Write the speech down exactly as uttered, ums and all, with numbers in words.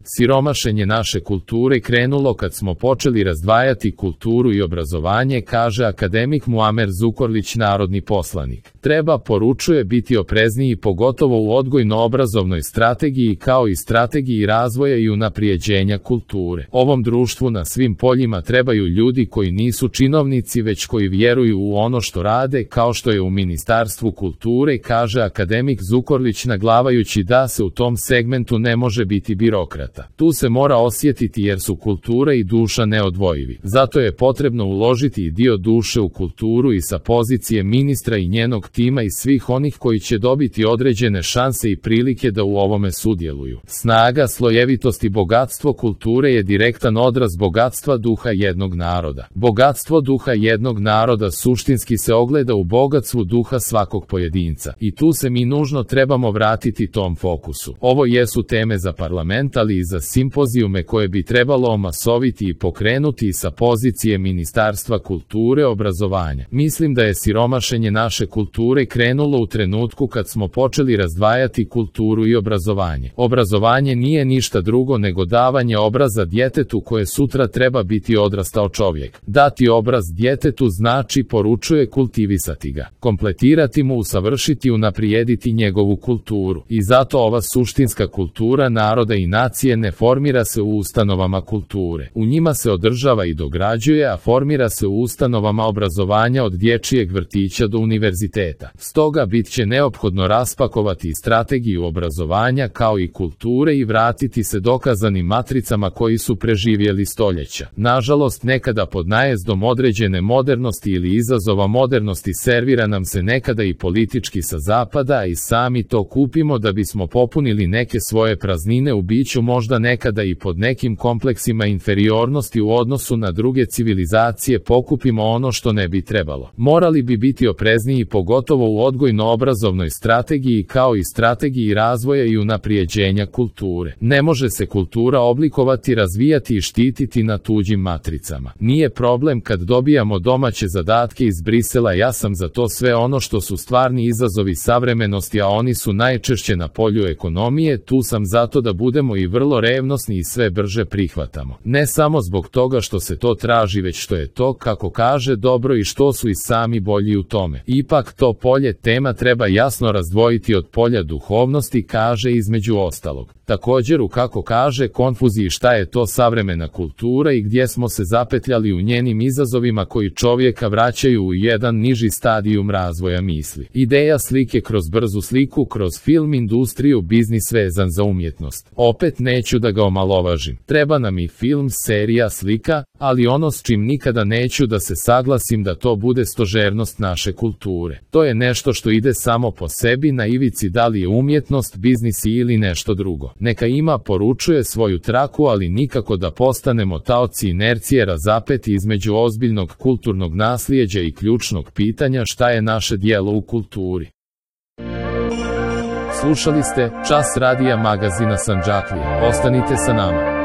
Siromašenje naše kulture krenulo kad smo počeli razdvajati kulturu i obrazovanje, kaže akademik Muamer Zukorlić, narodni poslanik. Treba, poručuje, biti oprezniji pogotovo u odgojno-obrazovnoj strategiji kao i strategiji razvoja i unaprijeđenja kulture. Ovom društvu na svim poljima trebaju ljudi koji nisu činovnici već koji vjeruju u ono što rade, kao što je u Ministarstvu kulture, kaže akademik Zukorlić, naglavajući da se u tom segmentu ne može biti birokrat. Tu se mora osjetiti jer su kultura i duša neodvojivi. Zato je potrebno uložiti i dio duše u kulturu i sa pozicije ministra i njenog tima i svih onih koji će dobiti određene šanse i prilike da u ovome sudjeluju. Snaga, slojevitost i bogatstvo kulture je direktan odraz bogatstva duha jednog naroda. Bogatstvo duha jednog naroda suštinski se ogleda u bogatstvu duha svakog pojedinca. I tu se mi nužno trebamo vratiti tom fokusu. Ovo jesu teme za parlament, ali i za simpozijume koje bi trebalo omasoviti i pokrenuti sa pozicije Ministarstva kulture, obrazovanja. Mislim da je siromašenje naše kulture krenulo u trenutku kad smo počeli razdvajati kulturu i obrazovanje. Obrazovanje nije ništa drugo nego davanje obraza djetetu koje sutra treba biti odrastao čovjek. Dati obraz djetetu znači, poručuje, kultivisati ga, kompletirati mu, usavršiti, unaprijediti njegovu kulturu. I zato ova suštinska kultura naroda i nacije ne formira se u ustanovama kulture. U njima se održava i dograđuje, a formira se u ustanovama obrazovanja od dječjeg vrtića do univerziteta. Stoga bit će neophodno raspakovati i strategiju obrazovanja kao i kulture i vratiti se dokazanim matricama koji su preživjeli stoljeća. Nažalost, nekada pod najezdom određene modernosti ili izazova modernosti servira nam se nekada i politički sa zapada, a i sami to kupimo da bismo popunili neke svoje praznine u biću, možda nekada i pod nekim kompleksima inferiornosti u odnosu na druge civilizacije pokupimo ono što ne bi trebalo. Morali bi biti oprezniji pogotovo u odgojno-obrazovnoj strategiji kao i strategiji razvoja i unaprijeđenja kulture. Ne može se kultura oblikovati, razvijati i štititi na tuđim matricama. Nije problem kad dobijamo domaće zadatke iz Brisela, ja sam za to sve ono što su stvarni izazovi savremenosti, a oni su najčešće na polju ekonomije, tu sam zato da budemo i vrlo revnosni i sve brže prihvatamo. Ne samo zbog toga što se to traži, već što je to, kako kaže, dobro i što su i sami bolji u tome. Ipak to polje tema treba jasno razdvojiti od polja duhovnosti, kaže, između ostalog. Također u, kako kaže, konfuziji šta je to savremena kultura i gdje smo se zapetljali u njenim izazovima koji čovjeka vraćaju u jedan niži stadijum razvoja misli. Ideja slike kroz brzu sliku, kroz film industriju, biznis vezan za umjetnost. Opet neću da ga omalovažim. Treba nam i film, serija, slika, ali ono s čim nikada neću da se saglasim da to bude stožernost naše kulture. To je nešto što ide samo po sebi na ivici, da li je umjetnost, biznis ili nešto drugo. Neka ima, poručuje, svoju traku, ali nikako da postanemo taoci inercije razapeti između ozbiljnog kulturnog naslijeđa i ključnog pitanja šta je naše djelo u kulturi. Slušali ste Čas radija magazina Sandžaklija. Ostanite sa nama.